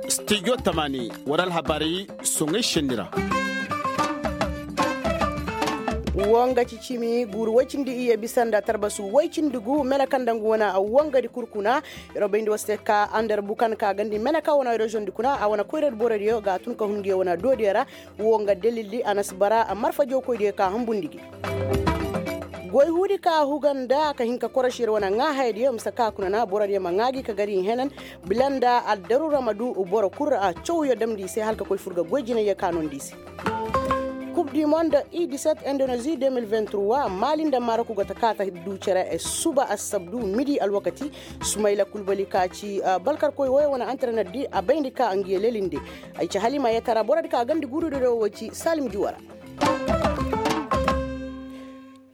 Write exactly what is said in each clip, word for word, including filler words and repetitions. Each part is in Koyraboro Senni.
Stijo tamaani war alhabaari soŋay senni ra. Wo nga ci cimi guuru woy cindi iyye bisa nda tarbasu woy cindi gu meneka nda nga wane wongadi kul kuna. Yer wo bayndi war se ka ander bukan ka gandi meneka wane reziyoŋdi kuna a wane koyradi borodiyo ga a tun ka hun ngi wane doodiyo ra. Wo nga dalildi a na si bara marfa jawkoydiyo ka hunbundi gi. Goy huudi ka huga nda ka hin ka korosi yer wane ŋaahayadiyo mise ka kuna na borodiyo ma ŋaa gi ka gar i henan. Bila nda addaruura ma du boro kul ra cawyo damndi i se hala ka koy fur ga goy jinayyo ka noondi i se. Kub di mond i diset indoneezi de mil vingt trois maali nda marok go ta ka ta du cere suba assabdu midi alwakati. Sumayla kulbali ka ci balkarkoy woyo wane antarener di a bayndi ka ngiyo lelinde. Ay ci hala i ma yeetara borodi ka gandi guurudiyo wo ci salim juwara.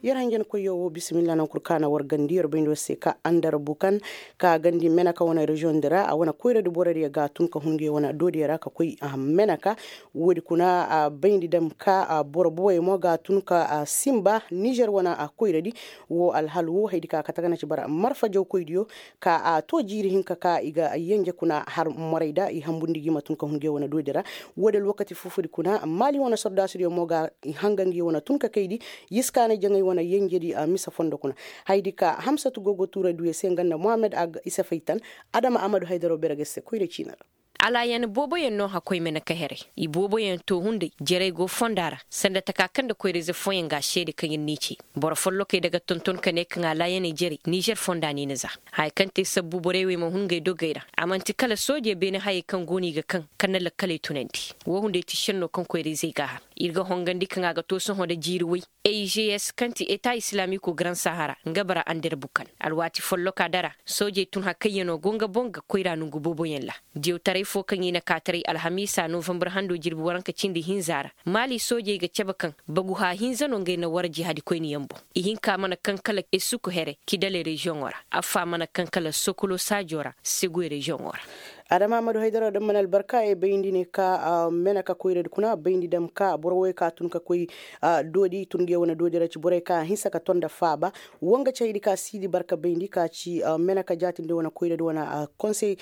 Yer hanjankoyyo wo bisimilla nankul ka na war gandi yer bayndi war se ka andar bukan ka gandi meneka wane reziyoŋdi ra a wane koyradi borodiyo ga a tun ka hun ngi wane doodiyo ra ka koy meneka. Woodi kuna a bayndi dam ka boro boboyo mo ga a tun ka simba nizer wane koyradi. Wo alhal wo haydi ka kate ga na ci bara marfa jawkoydiyo ka a to jiiri hinka ka i ga yenje kuna har morayda i hambundi gi ma tun ka hun ngi wane doodi ra. Woodi alwakati fufudi kuna maali wane sordaasudiyo mo ga i hanga ngi wane tun ka kaydi. Yiskaanay jaŋay wane yenjedi a mise fondo kuna. Haydi ka hamsatu go go tuuray duuyo se nga nda muhammad a ga isa faytan. Adama amadu haydaro bere ga se koyra ciina ra. Alaayan booboyaŋ no hakkoy meneka heray. I booboyaŋ too hunday jerey go fonda ra sanda taka kaŋ nda koyra-ize fooyaŋ ga a seede kaŋ yer n'i cey. Boro follokey daga tonton ka ne kaŋ alaayaney jerey nizer fonda no i na za. Haya kaŋ te sabbu borey wey ma hun ngey dogey ra a man'ti kala soojey beene hayey kaŋ go no i ga kaŋ kaŋ na lakkaley tunandi. Woo hunday ti šenno kaŋ koyra-izey g'a har. Ir ga hongandi kaŋ a ga too sohõ nda jiiri way. Eges kaŋ ti eta islaamiko garan sahara nga bara ander bukan alwaati folloka dara. Soojey tun hakayyanoo go nga boŋ ga koyra nongu booboyaŋ ra. Diyawtaray foo kaŋ i na kaataray alhamiisa novambar hando jirbi waranka cindi hinza ra. Maali soojey ga cabe kaŋ baguha hinza no ngey na war jihadikoyniyaŋ boŋ. Ihinka mana kaŋ kala esuku here kidale reziyoŋo ra. Affaa mana kaŋ kala sokolo saajo ra seguwe reziyoŋo ra. Adama ammadu haydara daŋ mana albarka ay bayndi ne ka mena ka koyradi kuna bayndi daŋ ka boro woy ka tun ka koy doodi tun ga ye wane doodi ra ci borey ka a hinsa ka ton nda faaba. Wo nga ci haydi ka siidi barka bayndi ka ci mena ka jaatindi wane koyradi wane konsey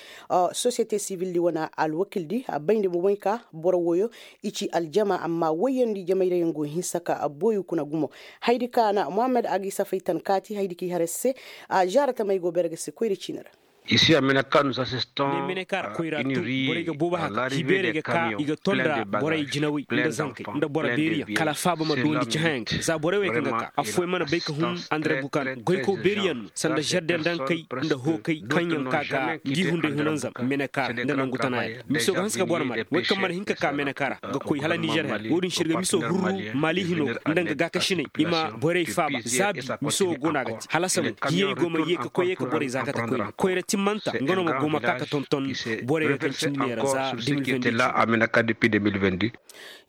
sosiyete sivildi wane alwakildi a bayndi mo moy ka boro woyo i ci aljama amma woyandi jamayrayaŋ go hinsa ka boyu kuna gumo. Haydi ka na muhammad a ga i safay tan kaati haydi ka i har se. A zaara tamey go bere ga se koyra ciini ra. Isi a mene ka nu sa siston. Mene ka ra koyra tu borey ga boobo haka hibeerey ga ka i ga tonda borey jinawey nda zankey nda boro beeriyaŋ kala faaba ma duwandi ci hayaŋ ga za borey wey kaŋ ga ka afooyaŋ mana bay ka hun andare bukan goykaw beeriyaŋ no sanda zerde nda hankey nda hookey kaŋyaŋ ka ga ngi hunday hunanzam mene ka ra nda nangu tana yaŋ miso ga hanse ka boro mare wey kaŋ mana hin ka ka mene ka ra ga koy hala nizer haya wo-din se ir ga miso hurru maali hino ga nda nga gaakasiney i ma borey faaba zaabi miso wo go no a ga te hala samu hiyey go ma ye ka koy ye ka borey za kate koyne koyra timmanta nga no ma go ma ka ka tonton borey ga kaŋ cindi neera za.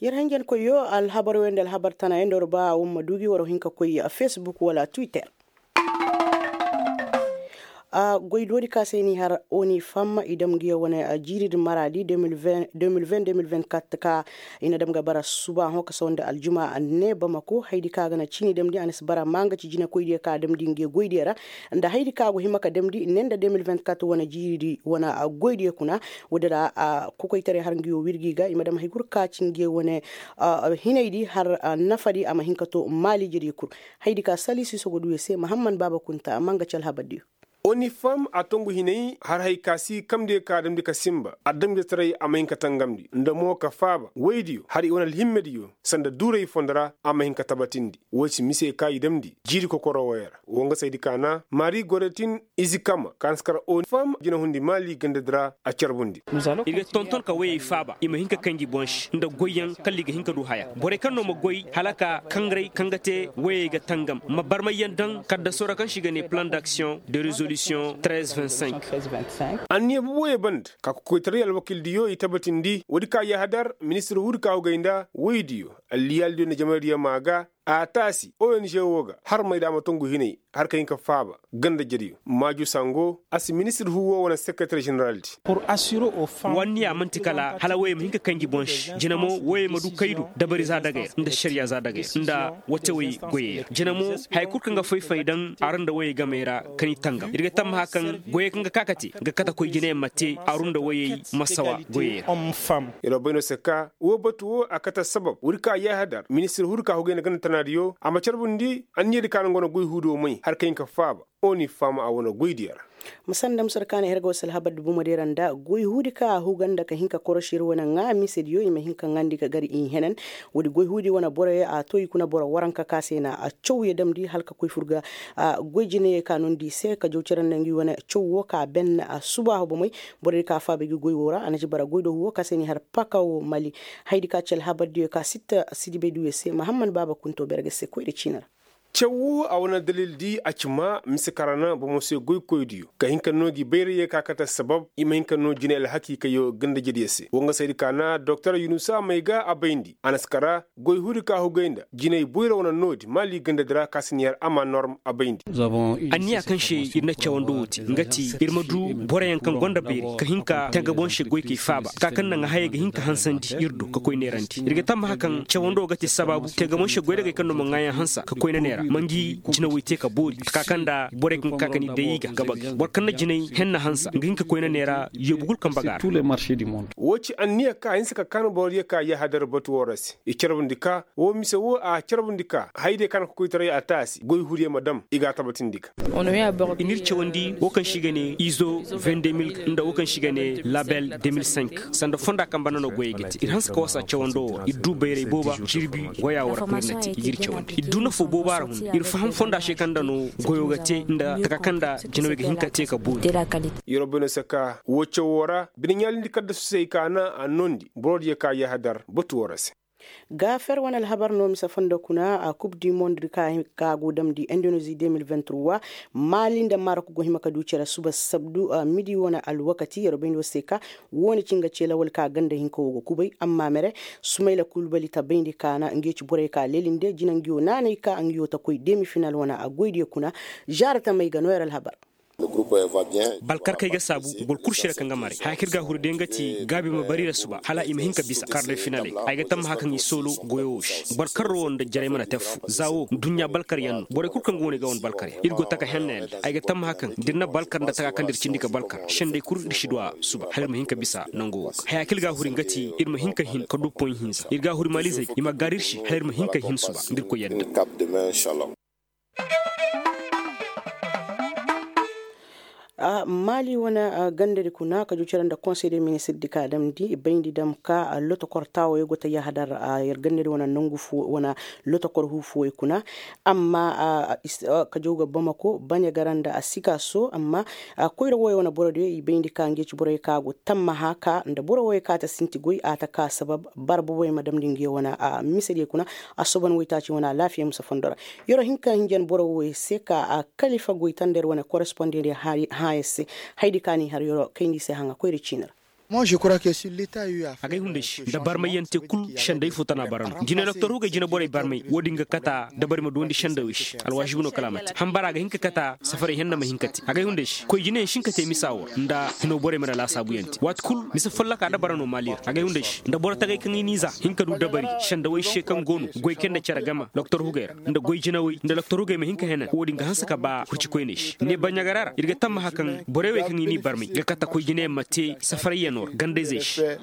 Yer hanjankoyyo alhabar wey nda alhabar tana yaŋ nda war ba war ma du gi war hin ka koy facebook wala twitter. Goy doodi ka se ni har oni fam i dam ga yaŋ wane jiiri din maraadi deux mille vingt deux mille vingt quatre ka i na dam ga bara suba hõ ka sawa nda aljuma ne bamako haydi ka ga na ciini damndi a na si bara ma nga ci jinekoydiyo ka damndi nga goydiyo ra. Nda haydi ka go hima ka damndi ne nda deux mille vingt quatre wane jiiridi wane goydiyo kuna. Woodi ra kokoytaray har nga yaŋ wirgi ga i ma dam hay kul ka ci nga yaŋ wane hinaydi har nafadi a ma hin ka to maaliijediyo kul. Haydi ka sali siiso go du yaŋ se mahamman baaba kunta a ma nga ci alhabardiyo. Onifam a tongu hinay har hay ka si kamdiyo ka damndi ka sinba adamjetaray a ma hin ka tangamndi nda mo ka faaba woydiyo har i wane alhimmediyo sanda duuray fondo ra a ma hin ka tabatindi. Wo ci mise ka i damndi jiiri kokoro woyo ra wo nga saydi ka na mari goretin izi kama ka na si kar onifam jinahundi maali gandadi ra a carbundi. Ir ga tonton ka woyey faaba i ma hin ka kanji boŋ se nda goyyaŋ kala i ga hin ka du haya borey kaŋ no ma goy hala ka kangaray kaŋ ga te woyey ga tangam ma barmayyaŋ daŋ kaddasoo ra kaŋ se i ga ne plan d'action de résolisiyoŋ treize vingt cinq. Anniya boboyo banda ka kokoytaray alwakildiyo i tabatindi woodi ka yahadar ministir huudi ka hugay nda woydiyo alliyaalidiyo nda jamaydiyo ma ga. A taasi ong woo ga har may da a ma tongu hinay har ka hin ka faaba ganda jediyo maaju sango a si ministir huu woo wane sekeretar jeneraldi. Wanniya man'ti kala hala woyey ma hin ka kanji boŋ se jina mo woyey ma du kaydu dabari za dagay ra nda ašariya za dagay ra nda watewey goyey ra jina mo haya kul kaŋ ga fay-fay daŋ aru nda woyey gamey ra. Ka ni tangam ir ga tammaha kaŋ goyey kaŋ ga ka ka te ga kate koy jinayaŋ ma te aru nda woyey masawa goyey ra. Ir wo bay no se ka woo batu woo a kate assabab woodi kaŋ a yaahadar ministir huudi ka hugay nda ganda tanaadiyo a ma carbundi anniyadi ka naŋ go na goy huudi woo may har ka hin ka faaba. Oni faama a wane goydiyo ra. Ma sanda musar kaana herga wasa alhabardi bomodiyo ra nda goy huudi ka a huga nda ka hin ka korošir wane ŋaa misediyo i ma hin ka ŋaandi ka gar i henen. Woodi goy huudi wane boroyo a to i kuna boro waranka ka se na a caw ya damndi hala ka koy fur ga goy jinayey ka nondi i se ka jaw cere nda ngi wane caw woo ka a ben a subaahu bomey. Borodi ka a faaba i ga goy woo ra a na ci bara goy do huwo ka se n'i har paka woo mali. Hayadi ka ci alhabardiyo ka sitta sidibey duuyo se mahamman baaba kunto berge se koyra ciini ra. Caw woo a wane dalildi a ci maa mise karana bomo se goykoydiyo ka hin ka noo gi bayrayyey ka kate assabab i ma hin ka noo jinay alhakiikayyo ganda-jediyey se woo nga saydi kaana doktor yunusa may ga a bayndi a na si kara goy huudi ka hugay nda jinay boyra wane noodi maali gandadi ra ka si n'i har ama norm a bayndi. Anniya kaŋ se ir na cawando wo te nga ti ir ma du boroyaŋ kaŋ gonda bayray ka hin ka te ga boŋ se goykey faaba ka kaŋ naŋ hayey ga hin ka hansandi ir do ka koy neerandi ir ga tammaha kaŋ cawando wo ga te sabaabu te ga boŋ se goydagey kaŋ no ma ŋaayaŋ hansa ka koyna neera ma ngi jinawey te ka boori taka kaŋ nda borey kaŋ ga ka ka ni day i ga gabagay boro kaŋ na jinay henna hansa nga hin ka koyna neera yoobu kul kaŋ baga ra. Woo ci anniya ka a hinsa ka kaan borodiyo ka yaahadar batu woo ra se i carbundi ka woo mise woo a carbundi ka hayadiyo ka na kokoytaray a taasi goy huudiyo ma dam i ga a tabatindi ga. I n'ir cawandi woo kaŋ se i ga ne izo vingt deux mil nda woo kaŋ se i ga ne label deux mil cinq sanda fonda kaŋ banda no goyey ga te ir hanse ka wasa cawando woo ra ir du bayray booba jirbi waya woo ra kaŋ ir na te i g'ir cawandi ir du nafo booba ra hun ir faham fonda se kaŋ nda no goyo ga te nda taka kaŋ nda jinawey ga hin ka te ka boori. Yeroo bay no se ka woo cawoo ra bine ɲaalindi kaddasu se i kaana a noondi boro diyo ka yaahadar batu woo ra se. Gaafer wane alhabar no mise fondo kuna a kub di mond di ka go damndi indoneezi deux mil vingt trois. Maali nda marok go hima ka du cere suba sabdu midi wane alwakati yeroo bayndi woo se ka woone ci nga ce lawal ka ganda hinka woo ga kubay amma mere sumayla kulbali ta bayndi kaana nge ci borey ka leelinde jina ngi woo naanay ka ngi woo ta koy demi final wane a goydiyo kuna. Zaara tamey ga no yer alhabar. Balkarkey ga saabu boro kul sira kaŋ ga maray haya kaŋ ir ga a huru day nga ti gaabi ma bari ra suba hala i ma hin ka bisa kar day finaley. Ay ga tammaha kaŋ i soolo goyo wo se balkarro wo nda jarey mana te affo za wo duɲɲa balkaryaŋ no borey kul kaŋ go no i ga wane balkaryaŋ ir go taka henna yaŋ day ay ga tammaha kaŋ da ir na balkar nda taka kaŋ da ir cindi ga balkar sendey kul ir si du a suba hala ir ma hin ka bisa nango wo ga haya kaŋ ir ga a huru nga ti ir ma hin ka hin ka du poɲ hinza ir ga a huru maalizey i ma gaari ir se hala ir ma hin ka hin suba nda ir koy yadda. Maali wane gandadi kuna ka jucere nda konsey de ministirdi ka damndi bayndi dam ka lotokor taawoyo go ta yahadar yer gandadi wane nangu fo wane lotokor huu fooyo kuna. Amma ka jaw ga bamako baɲa gara nda a si ka so amma koyra wooyo wane borodiyo i bayndi ka nge ci boroyo ka go tammaha ka nda boro wooyo ka ta sinti goy a ta ka sabab bara boboyo ma damndi nge wane misediyo kuna. Assoban woytaaci wane alaafiya musa fondo ra. Yeroo hinka hinjan boro wooyo se ka a kalifa goy tanda yer wane korespondendi hãayo se. Hayadi ka n'i har yeroo kayndi se haŋa koyra ciini ra. Agay hunday se nda barmayyaŋ te kul senday fo tana bara no jine doktor hugay jine borey barmay woodin ga kata dabari ma duwandi sendawey se alwaasibu no kala a ma te hambara ga hin ka kata safaray henna ma hin ka te agay hunday se koy jineyaŋ si hin ka te misa woo ra nda hino borey mana laasaabuyaŋ te waati kul mise folloka dabara no maali ra agay hunday se nda boro tagay kaŋ i n'i za hin ka du dabari sendawey se kaŋ go no goy kay nda cere game doktor hugay ra nda goy jinawey nda doktor hugay ma hin ka henan woodin ga hanse ka ba hurcikoyney se ne baɲagara ra ir ga tammaha kaŋ borey wey kaŋ i n'i barmay ga kate koy jineyaŋ ma te safarayyanoo ra gandayzey se.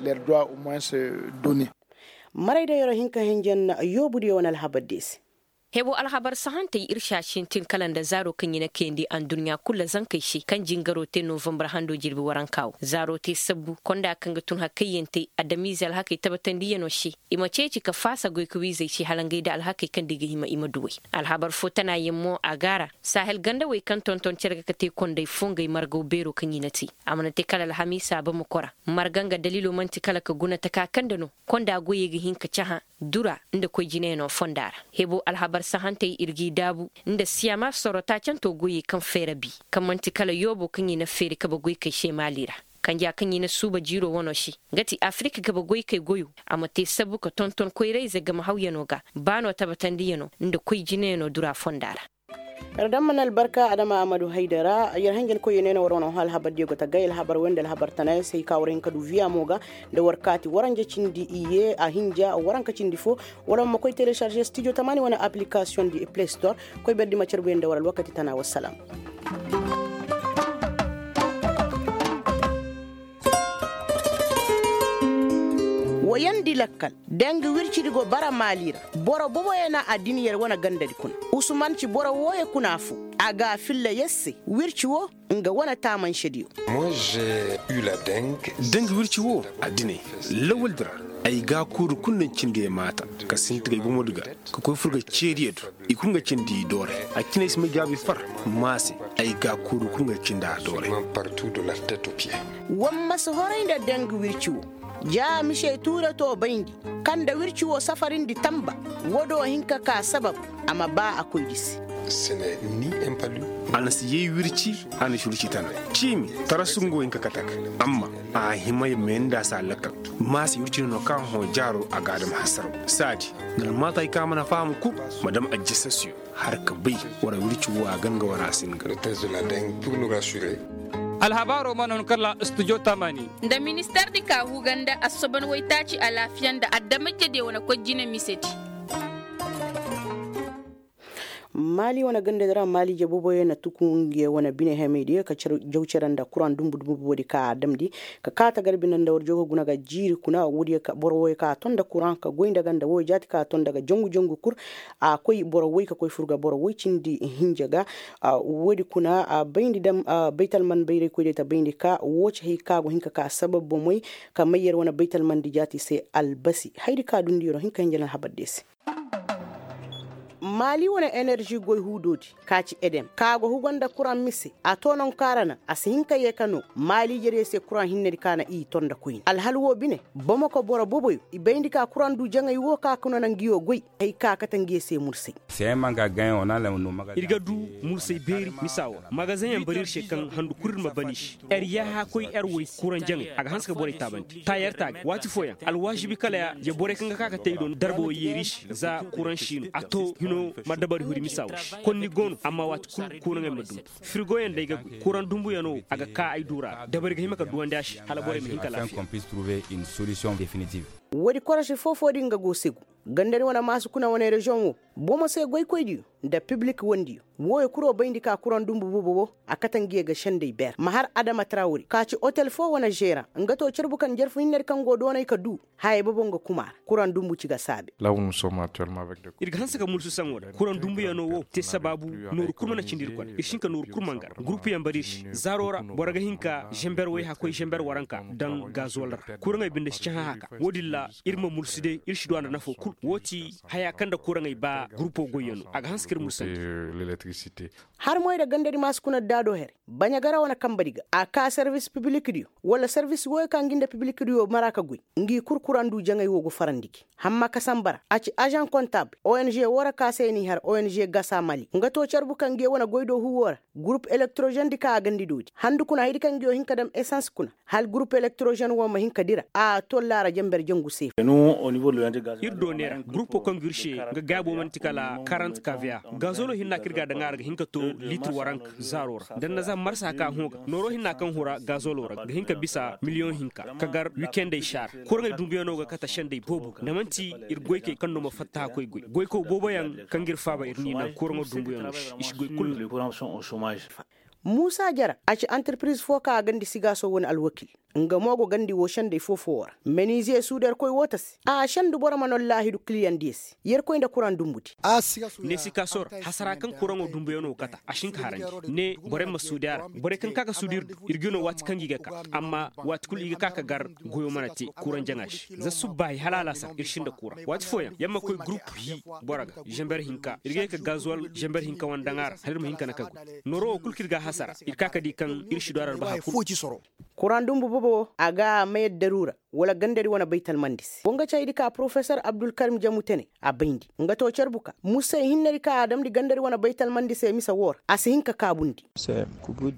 Maray da yeroo hin ka hinjan yoobudiyo wane alhabar de se. Hebo alhabar sahantey ir si a sintin kala nda zaaro kaŋ i na kayandi adduɲɲa kul ra zankey se kaŋ jingaroo te novambar hando jirbi waranka wo zaaro te sabbu konda kaŋ ga tun hakayyantey adamiize alhakey tabatandiyanoo se. I ma ceeci ka faasa goykawiizey se hala ngey nda alhakey kaŋ nda i ga hima i ma duw'ey. Alhabar fo tanayaŋ mo a gaara sahel gandawey kaŋ tonton cere ga ka te konday fongey margaw beeroo kaŋ i na te. A mana te kala alhamiisa bamako ra marga nga daliiloo man'ti kala ka guna taka kaŋ nda no konda goyey ga hin ka cahã dura nda koy jineyanoo fonda ra. Hebo alhabar sahantey ir g'i daabu nda siyaama soro taacantoo goyey kaŋ feera bi kaŋ man'ti kala yoobo kaŋ i na feeri kabe goykey se maali ra. Kanja kaŋ i na suuba jiiro wano se, nga ti afirik gabe goykey goyo, a ma te sabu ka tonton koyrayze game hawyanoo ga, baanoo tabatandiyano nda koy jineyanoo dura fonda ra. Yer daŋ mana albarka adama amadu haydara yer hanjankoyyo ne no war wane hõ alhabardiyo ga tagay alhabar wey nda alhabar tanayaŋ se hay ka war hin ka du viya mo ga, nda war kaati waranja cindi iyye a hinja waranka cindi fo. Wala ma koy telesarže stijo tamaani wane aplikasiyoŋ di play store. Koy berdi ma carbuyaŋ nda war alwakati tana wassalam. Wayandi lakkal, dangi wircidi go bara maali ra. Boro boboyaŋ na addini yer wane gandadi kuna. Usuman ci boro wooyo kuna fo. A ga a filla yer se wirci wo nga wane taamansediyo. Dangi wirci wo addiney lawaldi ra. Ay ga a kuuru kulu naŋ cindi ay maata, ka sinti ga ay bomodi ga, ka koy fur ga ceeriyo do. I kulu nga cindi i doore. A cine ay si may gaabi far. Maase, ay ga a kuuru kulu nga cindi a doore. War ma si horay nda dangi wirci wo. Ja mise tuure to bayndi, kaŋ nda wirci wo safarindi tamba. Wo do hin ka ka sabab, a ma ba a koydi se. A na si yay wirci, a na si wirci tana. Ciimi, tarasu nga wo hin ka kate a ga. Amma a hima ya me nda a si a lakkal. Maase wirci no no kaŋ a hõ jaaro a ga a dam hasaraw saadi. Nda almaata hay kaŋ a mana faham kul, ma dam ajjasasiyo. Har ka bay, war wirci wo a ga nga war a si nga. Alhabaaro mana hun kala studio tamani. Nda minister di ka huganda assoban waytaaci alaafiya nda adama jediyo wane koy jine misedi. Maali wane gandadi ra maali jabooboyo na tuku nga wane bine hemeydiyo ka jaw cere nda kuraŋ dumbu dumbu boodi ka a damndi. Ka kaata garbi nda war jogo guna ga jiiri kuna woodiyo ka boro woyo ka a ton nda kuraŋ ka goy nda ganda woyo jaati ka a ton nda ga jangu jangu kul. A koy boro woy ka koy fur ga boro woy cindi hinja ga. Woodi kuna a bayndi dam baytalman bayraykoydiyo ta bayndi ka woo ci hay ka go hin ka ka sabab bomey ka may yer wane baytalmandi jaati se albasi haydi ka dundi yer wo hin ka hinja na alhabardiyo se. Maali wane enerži goy huudoodi ka ci edem ka go hugo nda kuraŋ mise a too nonkaara naŋ a si hin ka yee ka noo maali jerey se kuraŋ hinnedi ka na i ton nda koyne alhal woo bine. Bomoko boro boboyo i bayndi ka kuraŋ du jaŋay woo ka kuna naŋ nguyo goy. Hay ka kate nguyo se mursay. Ir ga du mursay beeri misa woo. Magazeŋ yaŋ bari ir se kaŋ handu kul ir ma ban i se. Er yaaha koy er woy kuraŋ jaŋay a ga hanse ka borey taabandi taayer taaga waati fooyaŋ alwaazibi kala ya borey kaŋ ga ka ka te i do darba woy yeeri se za kuraŋ siino a to hino ma dabari huri misa woy se konni go no amma waati kul kuraŋey ma dumbu. Firigoyaŋ day ga goy kuraŋ dumbuyaŋo a ga ka ay duura dabari ga hima ka duwandi a se hala borey ma hin ka laafiya. Woodi korosi foo-foo din ga go segu. Gandari wane maasu kuna wane reziyoŋ wo bomo se goykoydiyo nda pibilik wandiyo. Wooyo kul wo bayndi ka kuraŋ dumbu boobo wo a kate ngiyo ga sendey beer ma har adama trawri ka ci otel foo wane zeeraŋ nga to carbu kaŋ jarfu hinnedi kaŋ go doonay ka duu. Hayey boobo nga kuma ra kuraŋ dumbu ci ga saabe. Ir ga hanse ka mulsu saŋo da kuraŋ dumbuyaŋo wo te sabaabu nooru kul mana cindi ir kone ir si hin ka nooru kul ma ngar gurupuyaŋ bari ir se zaaro ra boro ga hin ka zember wayha koy zember waranka daŋ gaazuwal ra. Kuraŋey binde si cahã haka wo-din ra ir ma mulsu day ir si du a nda nafo kul wo ti haya kaŋ nda kuraŋey ba gurupo goyyaŋo a ga hanse ka ir mulsandi. Har moy nda gandadi maasu kuna daado here baɲagara wane kambadi ga a ka servis pibilikdiyo wala servis wooyo ka ngi nda pibilikdiyo mara ka goy. Ngi kul kuraŋ du jaŋay woo go farandi gi hamma ka samba ra a ci azaŋ kontabul ong woo ra ka se n'i har ong gasa mali nga to carbu kaŋ ngi wane goy do huwoo ra. Gurup elektrozendi kaŋ a gandi doodi handu kuna haydi kaŋ ngi yoo hin ka dam esans kuna hala gurup elektrozen woo ma hin ka dira a to laara jamber jangu seefa. Ir do neera gurupo kaŋ ngi ir se nga gaabo man'ti kala karant kaviya. Gazolo hinna kaŋ ir ga a daŋ a ra ga hin ka to litir waranka zaaro ra da nda za marsa kaŋ a hõ ga nooro hinna kaŋ hura gazolo ra ga hin ka bisa miliyoŋ hinka ka gar wikendey saara. Kuraŋey dumbuyaŋo ga kate sendey boobo ga nda man'ti ir goykey kaŋ no ma fatta hakkoy goy goyko booboyaŋ kaŋ ga ir faaba ir n'i naŋ kuraŋo dumbuyaŋo se i si goy kulu. Muusa jara a ci antirpiriz fo kaŋ a gandi sigaaso wane alwakil. Nga mo go gandi woo sendey foo-foo woo ra meniziye suudarkoy woo ta se a sendu boro ma nollaahidu kiliyandiyo se. Yerkoy nda kuraŋ dumbudi. Ne sikaaso ra hasara kaŋ kuraŋo dumbuyaŋo kata a si hin ka harandi ne borey ma suudi a ra. Borey kaŋ ka ga suudi ir du ir ga no waati kaŋ gi ga ka amma waati kulu i ga ka ka gar goyo mana te kuraŋ jaŋa se za subbaahi hala alaasar ir sinda kuraŋ waati fooyaŋ yer ma koy gurup hi boro ga zember hinka ir ga ye ka gazuwal zember hinka wane daŋ a ra hala ir ma hin ka na ka goy. Nooro wo kulu kaŋ ir ga a hasara ir ka ka di kaŋ ir si du a ra albaha kulu. Kuraŋ dumbu bobo wo a ga mayar daruura wala gandari wane baytalmandi se wo nga caydi ka porofesor abdulkarim jamu tene a bayndi. Nga to carbu ka musay hinnadi ka a damndi gandari wane baytalmandi se mise woo ra a si hin ka kaabundi.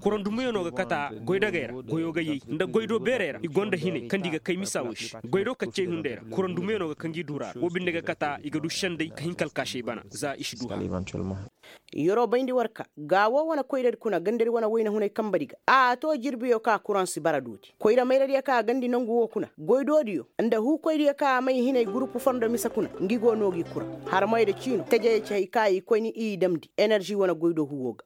Kuraŋ dumbuyaŋo ga kata goydogey ra goyo ga yay nda goydo beerey ra i gonda hinay kaŋ nda i ga kay misa wo se. Goydo kaccey hunday ra kuraŋ dumbuyaŋo ga kaŋ ga i du ra wo binde ga kata i ga du senday ka hin ka alkaasey bana za i si du hã. Yeroo bayndi war ka gaa woo wane koyradi kuna gandari wane wayna hunay kambadi ga a to jirbiyo ka kuraŋ si bara dooti koyra mayradiyo ka a gandi nongu woo kuna goydoodiyo nda huukoydiyo ka a may hinay gurupu fondo mise kuna ngi go noo gi kuraŋ. Harmayda ciino tajayey ci hay ka i koyni i damndi enerži wane goydoo huwoo ga.